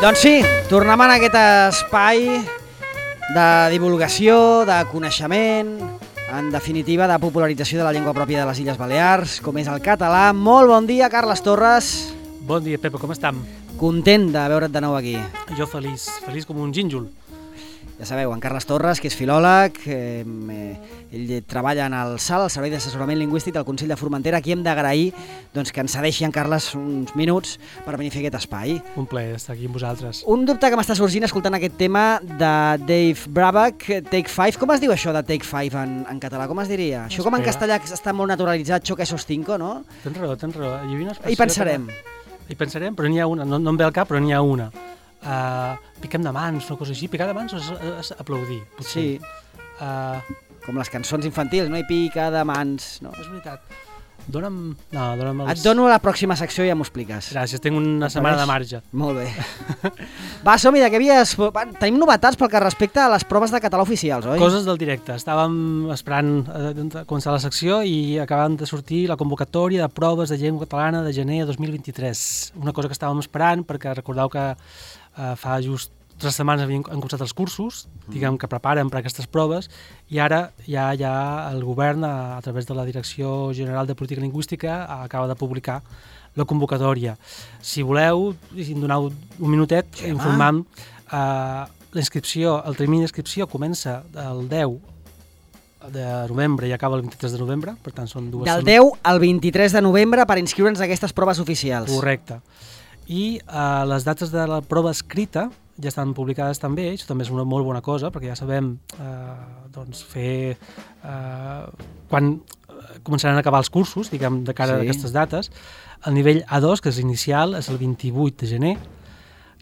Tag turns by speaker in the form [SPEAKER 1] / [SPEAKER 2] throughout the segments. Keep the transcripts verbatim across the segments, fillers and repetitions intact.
[SPEAKER 1] Doncs sí, tornem en aquest espai de divulgació, de coneixement, en definitiva de popularització de la llengua pròpia de les Illes Balears, com és el català. Molt bon dia, Carles Torres.
[SPEAKER 2] Bon dia, Pepa, com estem?
[SPEAKER 1] Content de veure't de nou aquí.
[SPEAKER 2] Jo feliç, feliç com un gínjol.
[SPEAKER 1] Ja sabeu, en Carles Torres, que és filòleg, eh, ell treballa en el S A L, el Servei d'Assessorament Lingüístic del Consell de Formentera. Aquí hem d'agrair doncs, que ens cedeixi en Carles uns minuts per venir a fer aquest espai.
[SPEAKER 2] Un plaer estar aquí amb vosaltres.
[SPEAKER 1] Un dubte que m'està sorgint escoltant aquest tema de Dave Brubeck, Take Five. Com es diu això de Take Five en, en català? Com es diria? Això com en castellà està molt naturalitzat, choque sostinco, no?
[SPEAKER 2] Tens raó, tens raó. Hi havia una
[SPEAKER 1] Hi pensarem.
[SPEAKER 2] Que... Hi pensarem, però n'hi ha una, no, no em ve al cap, però n'hi ha una. Uh, piquem de mans, una cosa així. Picar de mans és, és aplaudir, potser.
[SPEAKER 1] Sí,
[SPEAKER 2] uh,
[SPEAKER 1] com les cançons infantils, no? I pica de mans, no?
[SPEAKER 2] És veritat. Dóna'm... No, dóna'm els...
[SPEAKER 1] Et dono la pròxima secció i ja m'ho expliques.
[SPEAKER 2] Gràcies, tinc una setmana de marge.
[SPEAKER 1] Molt bé. Va, som-hi, de què havies... Tenim novetats pel que respecta a les proves de català oficials, oi?
[SPEAKER 2] Coses del directe. Estàvem esperant a començar la secció i acabant de sortir la convocatòria de proves de llengua catalana de gener de dos mil vint-i-tres. Una cosa que estàvem esperant, perquè recordeu que eh, fa just tres setmanes havien, han començat els cursos, diguem que preparen per aquestes proves, i ara ja, ja el govern, a, a través de la Direcció General de Política Lingüística, acaba de publicar la convocatòria. Si voleu, si em doneu un minutet, sí, informam, eh, la inscripció, el termini d'inscripció comença el deu de novembre i acaba el vint-i-tres de novembre, per tant són dues...
[SPEAKER 1] Del deu al vint-i-tres de novembre per inscriure'ns a aquestes proves oficials.
[SPEAKER 2] Correcte. I eh, les dates de la prova escrita ja estan publicades també, això també és una molt bona cosa, perquè ja sabem eh, doncs fer eh, quan començaran a acabar els cursos, diguem, de cara sí. a aquestes dates. El nivell A dos, que és inicial, és el vint-i-vuit de gener,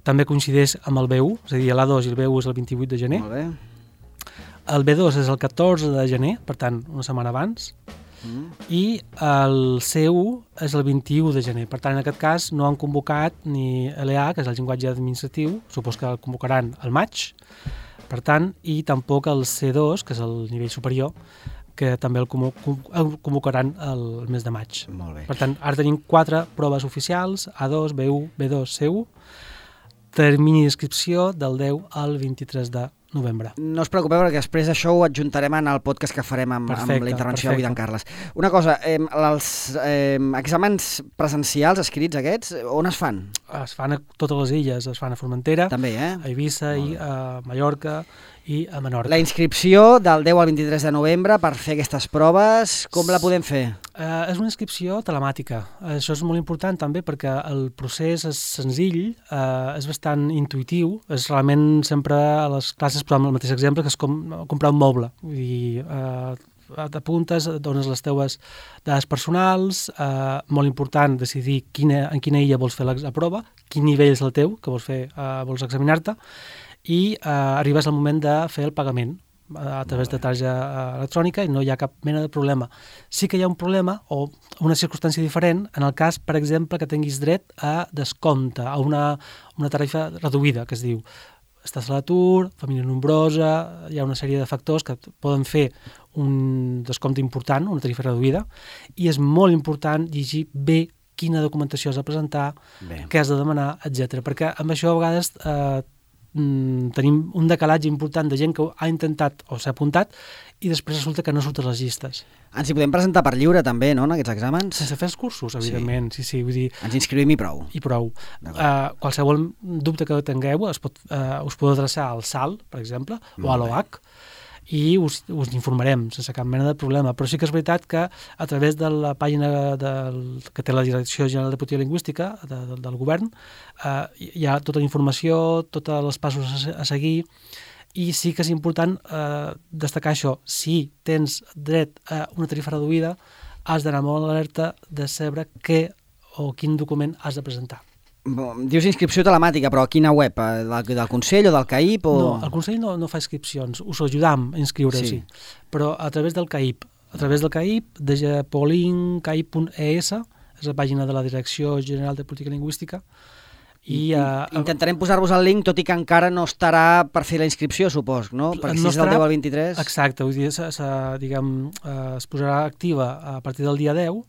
[SPEAKER 2] també coincideix amb el B u, és a dir, l'A dos i el B u és el vint-i-vuit de gener.
[SPEAKER 1] Molt bé.
[SPEAKER 2] El B dos és el catorze de gener, per tant, una setmana abans, mm. i el C u és el vint-i-u de gener. Per tant, en aquest cas no han convocat ni L A, que és el llenguatge administratiu, supos que el convocaran al maig, per tant, i tampoc el C dos, que és el nivell superior, que també el convocaran el mes de maig.
[SPEAKER 1] Molt bé.
[SPEAKER 2] Per tant, ara tenim quatre proves oficials, A dos, B u, B dos, C u, termini d'inscripció del deu al vint-i-tres de novembre.
[SPEAKER 1] No us preocupeu, perquè després això ho adjuntarem en el podcast que farem amb, perfecte, amb la intervenció avui d'en Carles. Una cosa, eh, els eh, exàmens presencials escrits aquests, on es fan?
[SPEAKER 2] Es fan a totes les illes, es fan a Formentera,
[SPEAKER 1] també, eh?
[SPEAKER 2] a Eivissa, i a Mallorca i a Menorca.
[SPEAKER 1] La inscripció del deu al vint-i-tres de novembre per fer aquestes proves, com la podem fer?
[SPEAKER 2] Uh, és una inscripció telemàtica. Uh, això és molt important també perquè el procés és senzill, uh, és bastant intuïtiu, és realment sempre a les classes, però amb el mateix exemple, que és com comprar un moble. Vull dir, uh, t'apuntes, dones les teves dades personals, uh, molt important decidir quina, en quina illa vols fer la, la prova, quin nivell és el teu, que vols fer, uh, vols examinar-te, i uh, arribes al moment de fer el pagament a través de targeta electrònica i no hi ha cap mena de problema. Sí que hi ha un problema o una circumstància diferent en el cas, per exemple, que tinguis dret a descompte, a una, una tarifa reduïda, que es diu estàs a l'atur, família nombrosa, hi ha una sèrie de factors que poden fer un descompte important, una tarifa reduïda, i és molt important llegir bé quina documentació has de presentar, bé. Què has de demanar, etcètera. Perquè amb això a vegades eh, tenim un decalatge important de gent que ha intentat o s'ha apuntat i després resulta que no surten les llistes.
[SPEAKER 1] Ens hi podem presentar per lliure també, no?, en aquests exàmens?
[SPEAKER 2] Sense fer els cursos, evidentment. Sí, sí, sí, vull dir...
[SPEAKER 1] Ens inscrivim i prou.
[SPEAKER 2] I prou. Uh, qualsevol dubte que tingueu es pot, uh, us podeu adreçar al S A L, per exemple, molt o a l'O H, i us, us informarem sense cap mena de problema. Però sí que és veritat que a través de la pàgina del, que té la Direcció General de Política Lingüística de, de, del govern eh, hi ha tota la informació, tots els passos a, a seguir, i sí que és important eh, destacar això. Si tens dret a una tarifa reduïda, has d'anar molt alerta de saber què o quin document has de presentar.
[SPEAKER 1] Dius inscripció telemàtica, però a quina web? Del, del Consell o del C A I P? O...
[SPEAKER 2] No, el Consell no, no fa inscripcions, us ajudam a inscriure-s'hi, sí. Però a través del C A I P, a través del C A I P, de polin c a i p punt e s, és la pàgina de la Direcció General de Política Lingüística, I, uh,
[SPEAKER 1] Intentarem posar-vos el link, tot i que encara no estarà per fer la inscripció, supos, no? Perquè si
[SPEAKER 2] no
[SPEAKER 1] és del
[SPEAKER 2] estarà-
[SPEAKER 1] deu al vint-i-tres...
[SPEAKER 2] Exacte, vull dir, se, se, diguem, eh, es posarà activa a partir del dia deu,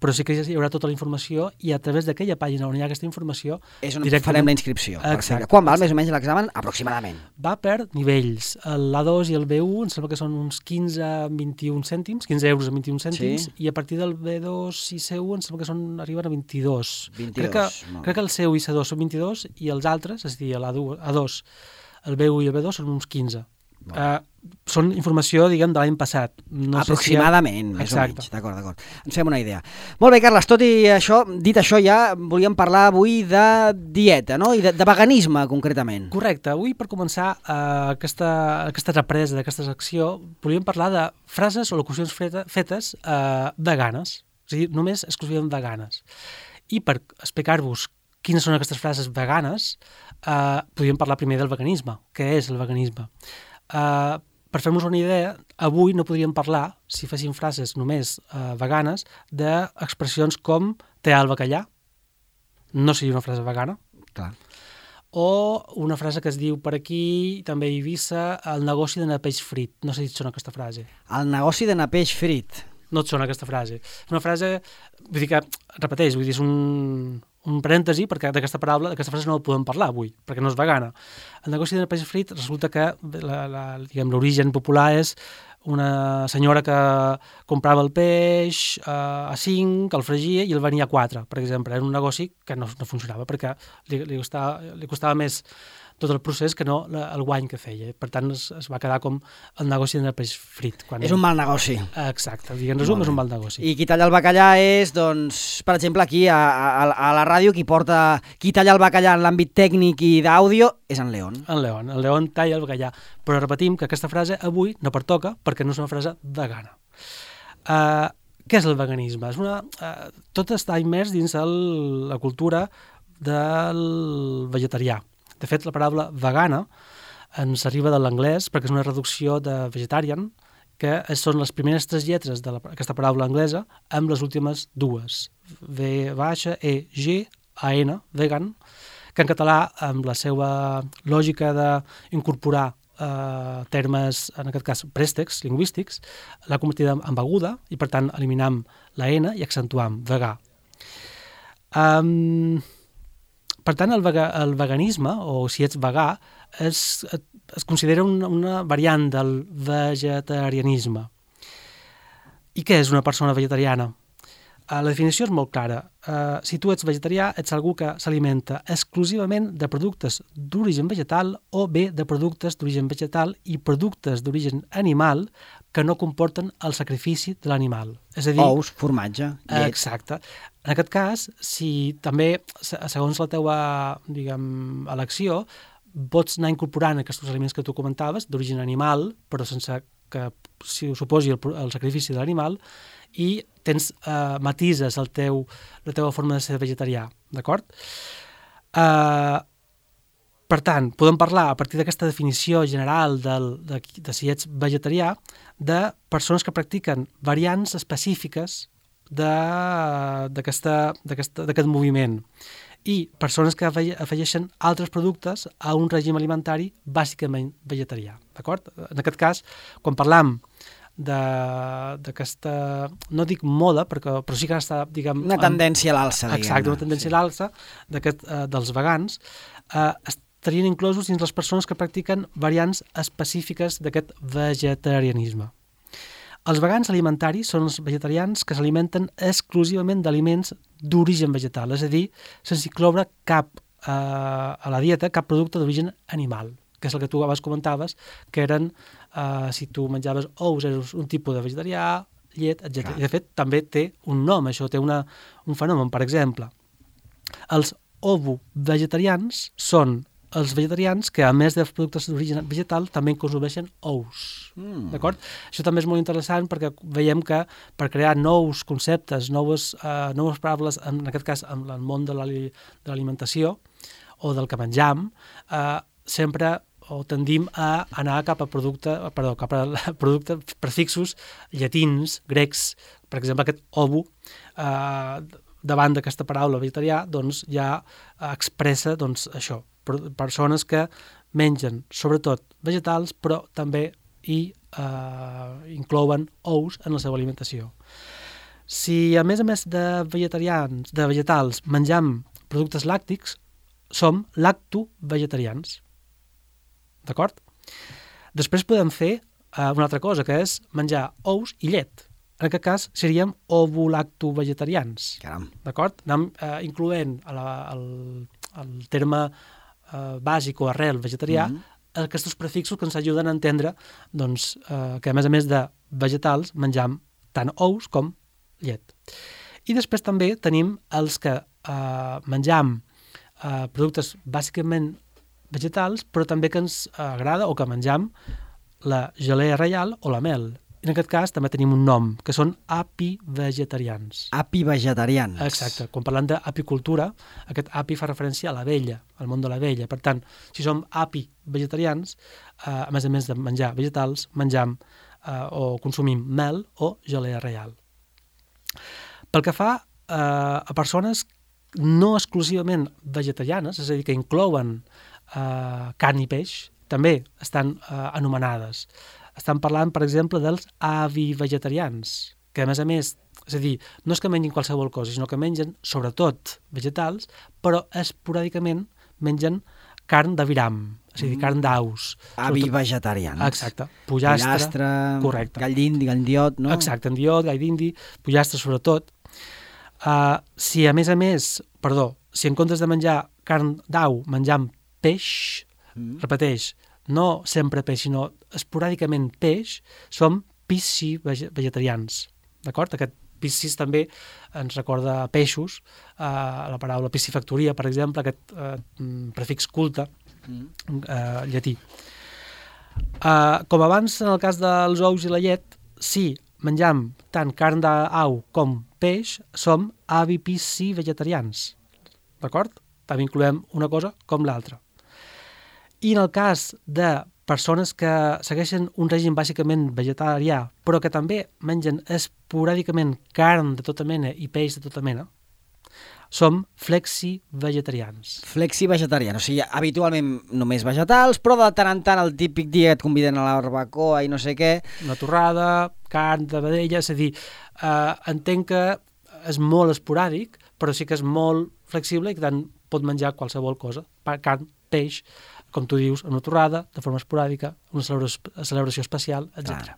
[SPEAKER 2] però sí que hi haurà tota la informació i a través d'aquella pàgina on hi ha aquesta informació
[SPEAKER 1] És on
[SPEAKER 2] directament-
[SPEAKER 1] farem la inscripció.
[SPEAKER 2] Exacte.
[SPEAKER 1] Perfecte. Quan val més o menys l'examen? Aproximadament.
[SPEAKER 2] va per nivells. L'A dos i el B u em sembla que són uns quinze a vint-i-un cèntims, quinze euros a vint-i-un cèntims,
[SPEAKER 1] Sí.
[SPEAKER 2] i a partir del B dos i C u em sembla que són, arriben a vint-i-dos.
[SPEAKER 1] vint-i-dos,
[SPEAKER 2] Crec que,
[SPEAKER 1] molt
[SPEAKER 2] crec que el C u i C dos són vint-i-dos i els altres, és a dir, l'A dos, el B u i el B dos són uns quinze. Uh, són informació, diguem, de l'any passat. No
[SPEAKER 1] Aproximadament,
[SPEAKER 2] sé si...
[SPEAKER 1] més
[SPEAKER 2] Exacte.
[SPEAKER 1] o menys. D'acord, d'acord. Ens fem una idea. Molt bé, Carles, tot i això, dit això ja, volíem parlar avui de dieta, no? I de, de veganisme, concretament.
[SPEAKER 2] Correcte. Avui, per començar uh, aquesta, aquesta represa d'aquesta secció, volíem parlar de frases o locucions feta, fetes uh, veganes. És a dir, només exclusivament veganes. I per explicar-vos quines són aquestes frases veganes, uh, podríem parlar primer del veganisme. Què és el veganisme? Uh, per fer-nos una idea, avui no podríem parlar, si féssim frases només uh, veganes, d'expressions com tear el bacallà. No seria una frase vegana.
[SPEAKER 1] Clar.
[SPEAKER 2] O una frase que es diu per aquí, també a Eivissa, el negoci d'anar peix frit. No sé si et sona aquesta frase.
[SPEAKER 1] El negoci d'anar peix frit.
[SPEAKER 2] No et sona aquesta frase. És una frase, vull dir que, repeteix, vull dir, és un, un parèntesi, perquè d'aquesta paraula, d'aquesta frase no la podem parlar avui, perquè no és vegana. El negoci de peix frit resulta que la, la, diguem, l'origen popular és una senyora que comprava el peix eh, a cinc, el fregia i el venia a quatre, per exemple. Era un negoci que no, no funcionava perquè li, li, costava, li costava més tot el procés que no la, el guany que feia. Per tant, es, es va quedar com el negoci de peix frit. Quan
[SPEAKER 1] És un mal negoci.
[SPEAKER 2] Exacte, en resum, és un mal negoci.
[SPEAKER 1] I qui talla el bacallà és, doncs, per exemple, aquí a, a, a la ràdio, qui porta, qui talla el bacallà en l'àmbit tècnic i d'àudio és en León.
[SPEAKER 2] En León, en León talla el bacallà. Però repetim que aquesta frase avui no pertoca perquè no és una frase vegana. Uh, què és el veganisme? És una, uh, tot està immers dins el, la cultura del vegetarià. De fet, la paraula vegana ens arriba de l'anglès perquè és una reducció de vegetarian, que són les primeres tres lletres d'aquesta paraula anglesa amb les últimes dues. V baixa, E, G, A, N, vegan, que en català, amb la seva lògica d'incorporar eh, termes, en aquest cas préstecs lingüístics, l'ha convertida en beguda i, per tant, eliminam la N i accentuam vegà. Um, per tant, el, vega, el veganisme, o si ets vegà, es, es considera una, una variant del vegetarianisme. I què és una persona vegetariana? Uh, la definició és molt clara. Uh, si tu ets vegetarià, ets algú que s'alimenta exclusivament de productes d'origen vegetal o bé de productes d'origen vegetal i productes d'origen animal que no comporten el sacrifici de l'animal. És a dir,
[SPEAKER 1] ous, formatge, llet.
[SPEAKER 2] Exacte. En aquest cas, si també, segons la teua, diguem, elecció, pots anar incorporant aquests aliments que tu comentaves, d'origen animal, però sense que si ho suposi el, el sacrifici de l'animal, i tens, eh, matises el teu, la teva forma de ser vegetarià, d'acord? Eh, per tant, podem parlar, a partir d'aquesta definició general del, de, de si ets vegetarià, de persones que practiquen variants específiques d'aquest moviment i persones que afegeixen altres productes a un règim alimentari bàsicament vegetarià, d'acord? En aquest cas, quan parlam d'aquesta, no dic moda, perquè, però sí que està, diguem...
[SPEAKER 1] Una tendència a l'alça, diguem.
[SPEAKER 2] Exacte, una tendència a l'alça eh, dels vegans, eh, estarien inclosos dins les persones que practiquen variants específiques d'aquest vegetarianisme. Els vegans alimentaris són els vegetarians que s'alimenten exclusivament d'aliments d'origen vegetal, és a dir, sense incloure cap, eh, a la dieta cap producte d'origen animal, que és el que tu abans comentaves, que eren, eh, si tu menjaves ous, eres un tipus de vegetarià, llet, etcètera. I de fet també té un nom, això té una, un fenomen. Per exemple, els ovo-vegetarians són els vegetarians que, a més de productes d'origen vegetal, també consumeixen ous. Mm. D'acord? Això també és molt interessant perquè veiem que per crear nous conceptes, noves, uh, noves paraules, en aquest cas en el món de l'alimentació o del que menjam, uh, sempre o tendim a anar cap a producte, perdó, cap a productes prefixos llatins, grecs, per exemple aquest ovo, uh, davant d'aquesta paraula vegetarià, doncs ja expressa doncs, això, persones que mengen sobretot vegetals, però també hi eh, inclouen ous en la seva alimentació. Si a més a més de vegetarians, de vegetals, menjam productes làctics, som lacto-vegetarians. D'acord? Després podem fer eh, una altra cosa, que és menjar ous i llet. En aquest cas seríem ovo-lacto-vegetarians.
[SPEAKER 1] Caram.
[SPEAKER 2] D'acord? Anem eh, incloent a la, el, el terme eh, bàsic o arrel vegetarià mm-hmm. aquests prefixos que ens ajuden a entendre doncs, eh, que a més a més de vegetals menjam tant ous com llet. I després també tenim els que eh, menjam eh, productes bàsicament vegetals, però també que ens agrada o que menjam la gelea reial o la mel. En aquest cas també tenim un nom, que són apivegetarians.
[SPEAKER 1] Apivegetarians.
[SPEAKER 2] Exacte. Quan parlem d'apicultura, aquest api fa referència a l'abella, al món de l'abella. Per tant, si som apivegetarians, eh, a més a més de menjar vegetals, menjam eh, o consumim mel o gelea reial. Pel que fa eh, a persones no exclusivament vegetarianes, és a dir, que inclouen eh, carn i peix, també estan eh, anomenades. Estan parlant, per exemple, dels avivegetarians, que a més a més, és a dir, no és que mengin qualsevol cosa, sinó que mengen sobretot vegetals, però esporàdicament mengen carn d'aviram, és a dir, carn d'aus.
[SPEAKER 1] Avivegetarians.
[SPEAKER 2] Exacte. Pollastre,
[SPEAKER 1] pollastre,
[SPEAKER 2] correcte.
[SPEAKER 1] Gall d'indi, gall d'indiot, no?
[SPEAKER 2] Exacte, endiot, gall d'indi, pollastre sobretot. Uh, si a més a més, perdó, si en comptes de menjar carn d'au menjam peix, mm. repeteix, no sempre peix, sinó esporàdicament peix, som piscivegetarians, d'acord? Aquest piscis també ens recorda a peixos, eh, la paraula piscifactoria, per exemple, aquest eh, prefix culte eh, llatí. Eh, com abans, en el cas dels ous i la llet, si menjam tant carn d'au com peix, som avipiscivegetarians, d'acord? També incloem una cosa com l'altra. I en el cas de persones que segueixen un règim bàsicament vegetarià, però que també mengen esporàdicament carn de tota mena i peix de tota mena, som flexi-vegetarians.
[SPEAKER 1] Flexi-vegetarians, o sigui, habitualment només vegetals, però de tant en tant el típic dia et conviden a la barbacoa i no sé què.
[SPEAKER 2] Una torrada, carn de vedella, és a dir, eh, entenc que és molt esporàdic, però sí que és molt flexible i que tant pot menjar qualsevol cosa, carn, peix, com tu dius, una torrada, de forma esporàdica, una celebració, celebració especial, etcètera.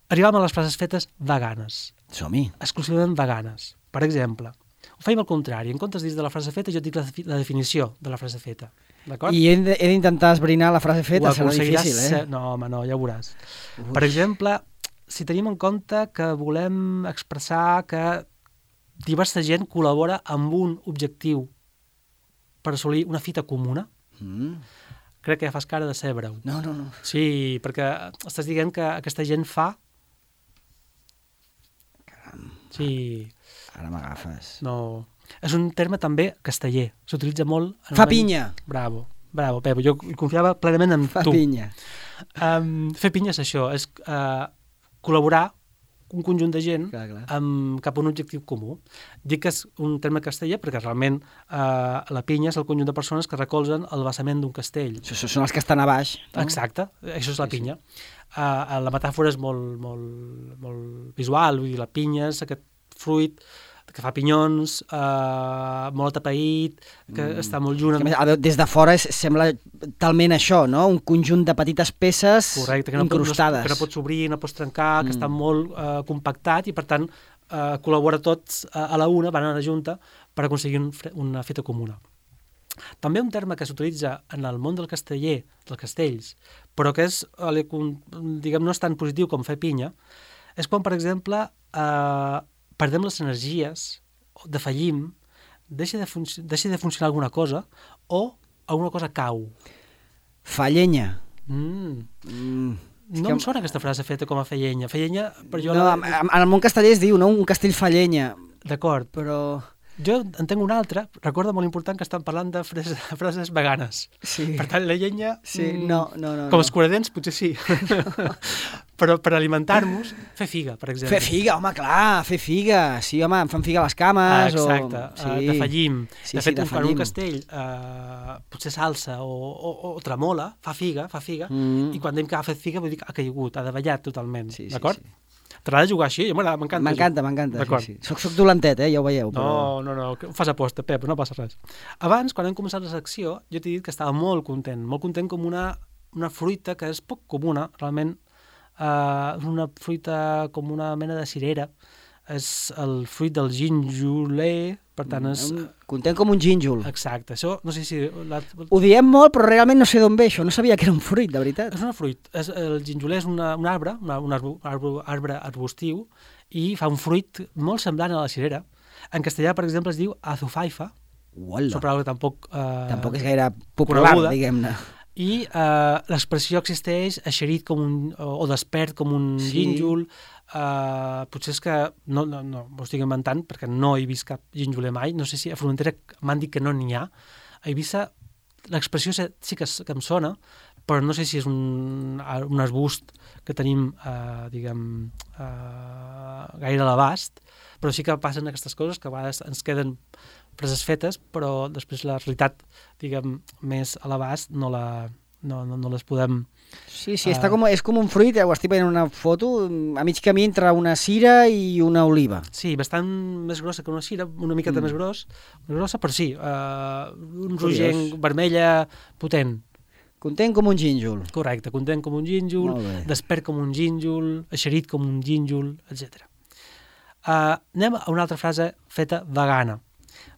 [SPEAKER 2] Arribam a les frases fetes veganes.
[SPEAKER 1] Som-hi.
[SPEAKER 2] Exclusivament veganes. Per exemple, ho feim al contrari. En comptes de dir de la frase feta, jo et dic la, la definició de la frase feta. D'acord?
[SPEAKER 1] I he d'intentar esbrinar la frase feta, serà difícil, eh?
[SPEAKER 2] No, home, no, ja ho veuràs. Ui. Per exemple, si tenim en compte que volem expressar que diversa gent col·labora amb un objectiu per assolir una fita comuna, Mm. crec que ja fas cara de ser breu.
[SPEAKER 1] No, no, no.
[SPEAKER 2] Sí, perquè estàs dient que aquesta gent fa...
[SPEAKER 1] Caram.
[SPEAKER 2] Sí.
[SPEAKER 1] Ara m'agafes.
[SPEAKER 2] No. És un terme també casteller. S'utilitza molt...
[SPEAKER 1] Fa pinya.
[SPEAKER 2] Bravo, bravo, Pepo. Jo confiava plenament en
[SPEAKER 1] Fa
[SPEAKER 2] tu.
[SPEAKER 1] Fa pinya.
[SPEAKER 2] Um, fer pinya és això, és uh, col·laborar un conjunt de gent
[SPEAKER 1] clar, clar.
[SPEAKER 2] Amb, cap a un objectiu comú. Dic que és un terme casteller perquè realment eh, la pinya és el conjunt de persones que recolzen el vessament d'un castell.
[SPEAKER 1] Això són els que estan a baix. No?
[SPEAKER 2] Exacte, això és la pinya. Sí, sí. Uh, la metàfora és molt, molt, molt visual, vull dir, la pinya és aquest fruit que fa pinyons, uh, molt atapeït, que mm. està molt junt.
[SPEAKER 1] Més, des de fora és, sembla talment això, no? Un conjunt de petites peces
[SPEAKER 2] correcte, que no
[SPEAKER 1] incrustades.
[SPEAKER 2] Pot, no, que no pots obrir, no pots trencar, mm. que està molt uh, compactat i, per tant, uh, col·labora tots uh, a la una, van a la junta, per aconseguir un, una feta comuna. També un terme que s'utilitza en el món del casteller, dels castells, però que és, diguem, no és tan positiu com fer pinya, és quan, per exemple, eh, perdem les energies, defallim, deixa de, deixa de funcionar alguna cosa o alguna cosa cau.
[SPEAKER 1] Fa llenya.
[SPEAKER 2] Mm.
[SPEAKER 1] Mm.
[SPEAKER 2] No que... em sona aquesta frase feta com a fer llenya. Fer llenya, per jo...
[SPEAKER 1] No,
[SPEAKER 2] la...
[SPEAKER 1] en el món casteller es diu, no? Un castell fa llenya.
[SPEAKER 2] D'acord.
[SPEAKER 1] Però...
[SPEAKER 2] Jo en tenc una altra, recorda molt important que estan parlant de frases, frases veganes.
[SPEAKER 1] Sí.
[SPEAKER 2] Per tant, la llenya...
[SPEAKER 1] Sí,
[SPEAKER 2] mm,
[SPEAKER 1] no, no, no.
[SPEAKER 2] Com
[SPEAKER 1] no.
[SPEAKER 2] els curadents, potser sí. Però per alimentar-nos, fer figa, per exemple.
[SPEAKER 1] Fer figa, home, clar, fer figa. Sí, home, em fan figa a les cames.
[SPEAKER 2] Ah, exacte,
[SPEAKER 1] o...
[SPEAKER 2] sí. uh, de fallim.
[SPEAKER 1] Sí,
[SPEAKER 2] de
[SPEAKER 1] sí,
[SPEAKER 2] fet,
[SPEAKER 1] de
[SPEAKER 2] quan un
[SPEAKER 1] fallim.
[SPEAKER 2] castell uh, potser s'alça o, o, o tremola, fa figa, fa figa,
[SPEAKER 1] Mm.
[SPEAKER 2] i quan dèiem que ha fet figa vull dir que ha caigut, ha davallat totalment,
[SPEAKER 1] Sí, sí,
[SPEAKER 2] d'acord?
[SPEAKER 1] sí.
[SPEAKER 2] T'agrada jugar així? M'agrada, m'encanta.
[SPEAKER 1] M'encanta, m'encanta.
[SPEAKER 2] D'acord.
[SPEAKER 1] Sí, sí. Soc, soc dolentet, eh? Ja ho veieu. Però...
[SPEAKER 2] No, no, no, que fas aposta, Pep, no passa res. Abans, quan hem començat la secció, jo t'he dit que estava molt content, molt content com una, una fruita que és poc comuna, realment, eh, una fruita com una mena de cirera, és el fruit del ginjoler, per tant és...
[SPEAKER 1] Un... Content com un gínjol.
[SPEAKER 2] Exacte, això no sé si... La...
[SPEAKER 1] Ho diem molt, però realment no sé d'on ve això. No sabia que era un fruit, de veritat.
[SPEAKER 2] És una fruit. És, el ginjoler és una, un arbre, una, un arbre, arbre, arbre arbustiu, i fa un fruit molt semblant a la cirera. En castellà, per exemple, es diu azufaifa.
[SPEAKER 1] Uala.
[SPEAKER 2] Són paraules tampoc... Eh,
[SPEAKER 1] Tampoc és gaire popular,
[SPEAKER 2] coneguda.
[SPEAKER 1] diguem-ne.
[SPEAKER 2] I eh, l'expressió existeix eixerit com un, o, o despert com un
[SPEAKER 1] Sí.
[SPEAKER 2] gínjol. Eh, potser és que no, no, no m'ho estic inventant perquè no he vist cap gínjoler mai. No sé si a Formentera m'han dit que no n'hi ha. A Eivissa l'expressió sí que, que em sona, però no sé si és un, un arbust que tenim, eh, diguem, eh, gaire a l'abast, però sí que passen aquestes coses que a vegades ens queden preses fetes, però després la realitat, diguem, més a l'abast no, la, no, no, no les podem...
[SPEAKER 1] Sí, sí, està com, és com un fruit, eh? Ho estic veient en una foto, a mig camí entre una cira i una oliva.
[SPEAKER 2] Sí, bastant més grossa que una cira, una miqueta
[SPEAKER 1] Mm.
[SPEAKER 2] més gros, més grossa, però sí, eh, un
[SPEAKER 1] Curiós.
[SPEAKER 2] rogenc vermella potent.
[SPEAKER 1] Content com un gínjol.
[SPEAKER 2] Correcte, content com un gínjol,
[SPEAKER 1] Molt bé.
[SPEAKER 2] despert com un gínjol, eixerit com un gínjol, etcètera. Uh, anem a una altra frase feta vegana.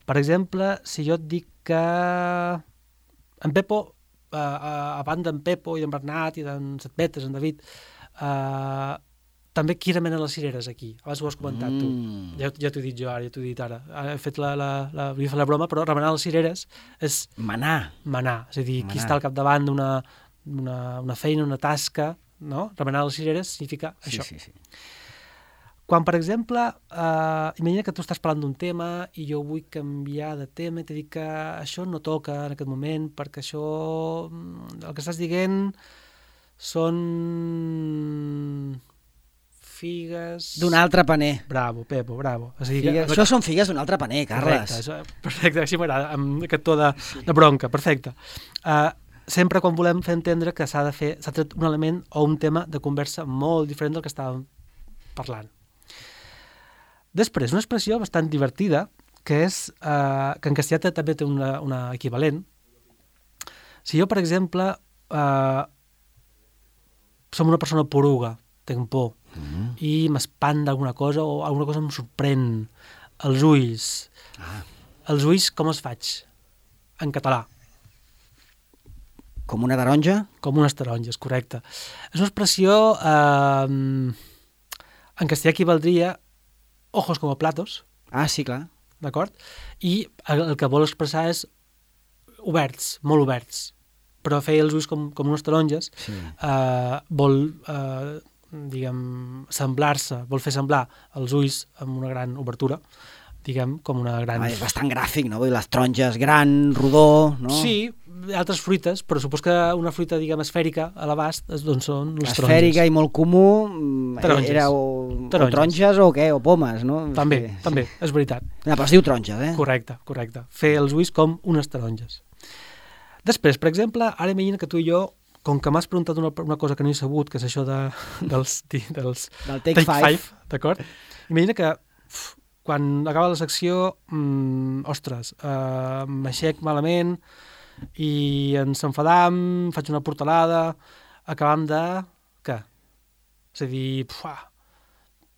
[SPEAKER 2] Per exemple, si jo et dic que en Pepo, uh, uh, a banda d'en Pepo i d'en Bernat i d'en Setbetes, en David, uh, també qui remena les cireres aquí? Abans ho has comentat tu.
[SPEAKER 1] Mm.
[SPEAKER 2] Ja, ja t'ho he dit jo ara, ja t'ho he dit ara. He fet la, la, la, volia fer la broma, però remenar les cireres és
[SPEAKER 1] Manar.
[SPEAKER 2] manar, és a dir, qui
[SPEAKER 1] Manar.
[SPEAKER 2] està al capdavant d'una una, una feina, una tasca, no? Remenar les cireres significa
[SPEAKER 1] Sí,
[SPEAKER 2] això.
[SPEAKER 1] sí, sí.
[SPEAKER 2] Quan, per exemple, eh, imagina que tu estàs parlant d'un tema i jo vull canviar de tema i t'he dit que això no toca en aquest moment perquè això, mm, el que estàs dient són figues...
[SPEAKER 1] D'un altre paner.
[SPEAKER 2] Bravo, Pepo, bravo. És a dir,
[SPEAKER 1] Figues...
[SPEAKER 2] que...
[SPEAKER 1] Això són figues d'un altre paner, Carles.
[SPEAKER 2] Correcte, això, perfecte, així m'agrada, amb aquest to de, de bronca, perfecte. Uh, sempre quan volem fer entendre que s'ha de fer, s'ha tret un element o un tema de conversa molt diferent del que estàvem parlant. Després, una expressió bastant divertida, que és, uh, que en castellà també té una, una equivalent. Si jo, per exemple, uh, som una persona poruga, tinc por,
[SPEAKER 1] Mm.
[SPEAKER 2] i m'espanta alguna cosa o alguna cosa em sorprèn. Els ulls.
[SPEAKER 1] Ah.
[SPEAKER 2] Els ulls com els faig? En català.
[SPEAKER 1] Com una taronja?
[SPEAKER 2] Com unes taronges, correcte. És una expressió... Eh, en castellà equivaldria ojos como platos,
[SPEAKER 1] Ah, sí, clar.
[SPEAKER 2] d'acord? I el, el que vol expressar és oberts, molt oberts. Però fer els ulls com, com unes taronges
[SPEAKER 1] Sí.
[SPEAKER 2] eh, vol... Eh, diguem, semblar-se, vol fer semblar els ulls amb una gran obertura, diguem, com una gran...
[SPEAKER 1] Ah, és bastant gràfic, no? Vull dir, les taronges gran, rodó, no?
[SPEAKER 2] Sí, altres fruites, però supos que una fruita, diguem, esfèrica a l'abast, doncs són les taronges.
[SPEAKER 1] Esfèrica i molt comú, mm,
[SPEAKER 2] Taronges.
[SPEAKER 1] era o,
[SPEAKER 2] Taronges.
[SPEAKER 1] o taronges o què, o pomes, no?
[SPEAKER 2] També,
[SPEAKER 1] Sí,
[SPEAKER 2] també,
[SPEAKER 1] sí.
[SPEAKER 2] és veritat.
[SPEAKER 1] No, però es diu taronges, eh?
[SPEAKER 2] Correcte, correcte. Fer els ulls com unes taronges. Després, per exemple, ara imagina que tu i jo, com que m'has preguntat una, una cosa que no he sabut, que és això de, dels, dels
[SPEAKER 1] Del Take, Five.
[SPEAKER 2] d'acord? Imagina que uf, quan acaba la secció, mmm, ostres, eh, m'aixec malament i ens enfadam, faig una portalada, acabam de... què? És a dir, pua,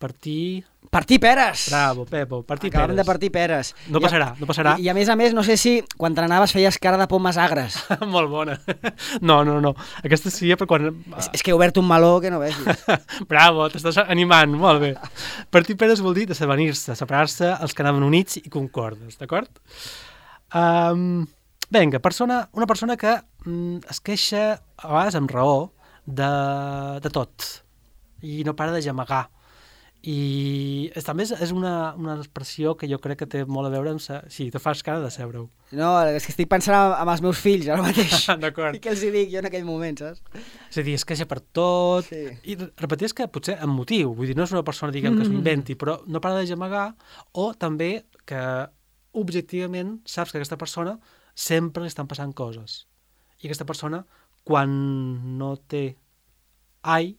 [SPEAKER 2] partir...
[SPEAKER 1] Partir peres!
[SPEAKER 2] Bravo, Pepo, partir
[SPEAKER 1] Acabem
[SPEAKER 2] peres.
[SPEAKER 1] de partir peres.
[SPEAKER 2] No
[SPEAKER 1] I,
[SPEAKER 2] passarà, no passarà.
[SPEAKER 1] I, I a més a més, no sé si quan t'anaves feies cara de pomes agres.
[SPEAKER 2] Molt bona. No, no, no. Aquesta seria per quan...
[SPEAKER 1] és, és que he obert un meló que no vegis.
[SPEAKER 2] Bravo, t'estàs animant, molt bé. Partir peres vol dir desavenir-se, separar-se els que anaven units i concordes, d'acord? Um, vinga, persona, una persona que um, es queixa, a vegades amb raó, de, de tot, i no para de gemegar. I és, també és una, una expressió que jo crec que té molt a veure amb... Sa... Sí, te fas cara de seure-ho.
[SPEAKER 1] No, és que estic pensant amb els meus fills ara mateix.
[SPEAKER 2] D'acord.
[SPEAKER 1] I què els hi dic jo en aquell moment, saps?
[SPEAKER 2] És a dir, es queixa per tot.
[SPEAKER 1] Sí.
[SPEAKER 2] I repetir que potser amb motiu. Vull dir, no és una persona, diguem, que s'ho inventi, però no para de gemegar, o també que objectivament saps que aquesta persona sempre li estan passant coses. I aquesta persona, quan no té ai...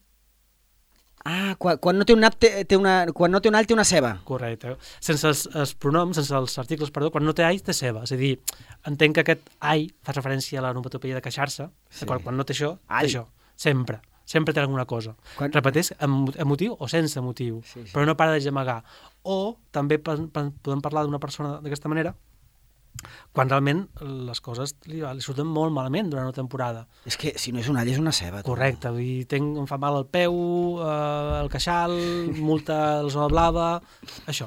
[SPEAKER 1] Ah, quan, quan no té un nap té, té una, quan no té un all té una ceba.
[SPEAKER 2] Correcte. Sense els, els pronoms, sense els articles, perdó, quan no té ai té ceba. És a dir, entenc que aquest ai fa referència a la onomatopeia de queixar-se, sí. Quan no té això, ai. Té això. Sempre. Sempre té alguna cosa. Quan... Repeteix, amb, amb motiu o sense motiu, sí, sí. Però no para de gemegar. O també podem parlar d'una persona d'aquesta manera quan realment les coses li, li surten molt malament durant una temporada.
[SPEAKER 1] És que si no és un all és una ceba.
[SPEAKER 2] Correcte, vull dir, tenc, em fa mal el peu, eh, el queixal, multa a la zona blava, això.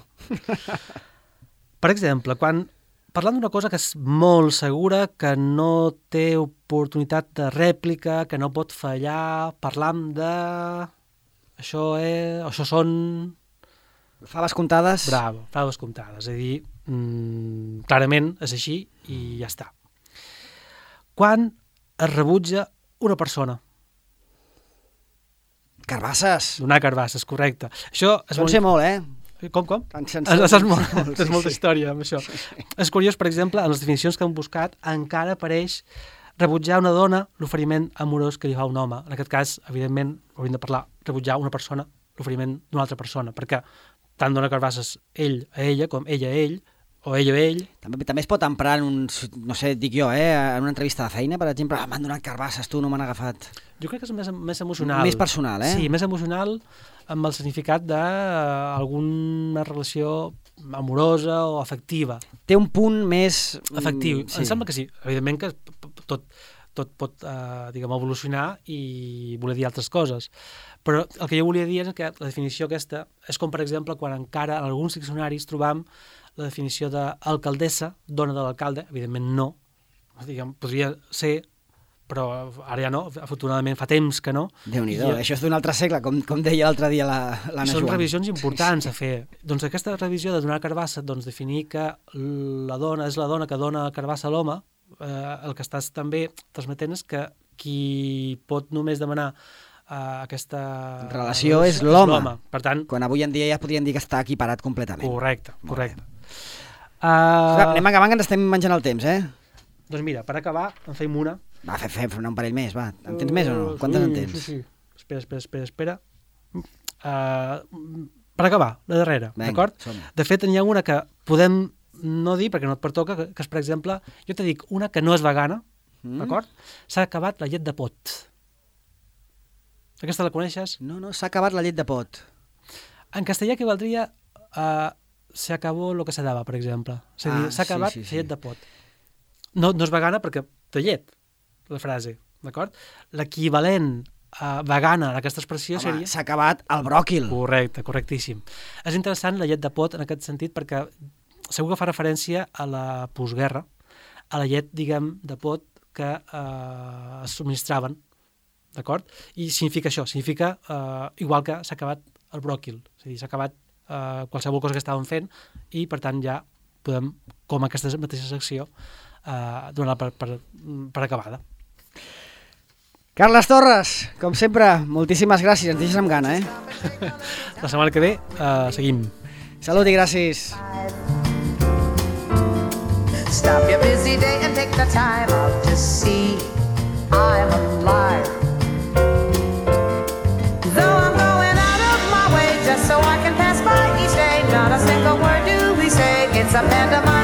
[SPEAKER 2] Per exemple, quan parlant d'una cosa que és molt segura, que no té oportunitat de rèplica, que no pot fallar, parlam de... Això, és... això són...
[SPEAKER 1] Faves comptades?
[SPEAKER 2] Bravo, faves comptades. És a dir, mmm, clarament és així i ja està. Quan es rebutja una persona?
[SPEAKER 1] Carbasses.
[SPEAKER 2] Donar carbasses, correcte. Això és
[SPEAKER 1] molt... sé molt, eh?
[SPEAKER 2] Com, com?
[SPEAKER 1] Saps
[SPEAKER 2] molt, molt, tens molta sí, història amb això. Sí, sí. És curiós, per exemple, en les definicions que hem buscat encara apareix rebutjar a una dona l'oferiment amorós que li fa un home. En aquest cas, evidentment, hauríem de parlar rebutjar a una persona l'oferiment d'una altra persona, perquè tant dona carbasses ell a ella com ella a ell, o ell a ell.
[SPEAKER 1] També, també es pot emprar en un, no sé, dic jo, eh, en una entrevista de feina, per exemple, ah, m'han donat carbasses, tu no m'han agafat.
[SPEAKER 2] Jo crec que és més, més emocional.
[SPEAKER 1] Més personal, eh?
[SPEAKER 2] Sí, més emocional, amb el significat d'alguna relació amorosa o afectiva.
[SPEAKER 1] Té un punt més...
[SPEAKER 2] Afectiu. Sí. Em sembla que sí. Evidentment que tot, tot pot, eh, diguem, evolucionar i voler dir altres coses. Però el que jo volia dir és que la definició aquesta és com, per exemple, quan encara en alguns diccionaris trobam la definició d'alcaldessa, dona de l'alcalde, evidentment no, diguem, podria ser, però ara ja no, afortunadament fa temps que no.
[SPEAKER 1] Déu-n'hi-do, I, això és d'un altre segle, com, com deia l'altre dia l'Anna Joan.
[SPEAKER 2] Són revisions importants sí, sí. a fer. Doncs aquesta revisió de donar carbassa, doncs definir que la dona és la dona que dona carbassa a l'home, eh, el que estàs també transmetent és que qui pot només demanar Uh, aquesta
[SPEAKER 1] relació és l'home.
[SPEAKER 2] Per tant,
[SPEAKER 1] quan avui en dia ja podríem dir que està equiparat completament.
[SPEAKER 2] Correcte, correcte.
[SPEAKER 1] Uh... Clar, anem acabant que ens estem menjant el temps, eh?
[SPEAKER 2] Doncs mira, per acabar, en fem una.
[SPEAKER 1] Va, fem, fem un parell més, va. En tens uh, més o no? Quantes
[SPEAKER 2] sí,
[SPEAKER 1] en tens?
[SPEAKER 2] Sí, sí. Espera, espera, espera, espera. Uh, per acabar, la darrera, d'acord? De fet, n'hi ha una que podem no dir, perquè no et pertoca, que, que és, per exemple, jo te dic una que no és vegana, mm. d'acord? S'ha acabat la llet de pot. Aquesta la coneixes?
[SPEAKER 1] No, no, s'ha acabat la llet de pot.
[SPEAKER 2] En castellà que valdria uh, se acabó lo que se daba, per exemple. És a dir, ah, s'ha acabat sí, sí, sí. la llet de pot. No, no és vegana perquè té llet, la frase, d'acord? L'equivalent uh, vegana d'aquesta expressió
[SPEAKER 1] Home,
[SPEAKER 2] seria...
[SPEAKER 1] s'ha acabat el bròquil.
[SPEAKER 2] Correcte, correctíssim. És interessant la llet de pot en aquest sentit perquè segur que fa referència a la postguerra, a la llet, diguem, de pot que uh, es subministraven, d'acord? I significa això, significa eh, igual que s'ha acabat el bròquil, és a dir, s'ha acabat eh, qualsevol cosa que estàvem fent i, per tant, ja podem, com aquesta mateixa secció, eh, donar per, per, per acabada.
[SPEAKER 1] Carles Torres, com sempre, moltíssimes gràcies, ens deixes amb gana, eh?
[SPEAKER 2] La setmana que ve eh, seguim.
[SPEAKER 1] Salut i gràcies. Stop your busy day and take the time out to see I'm alive. So I can pass by each day, not a single word do we say, it's a pandemic.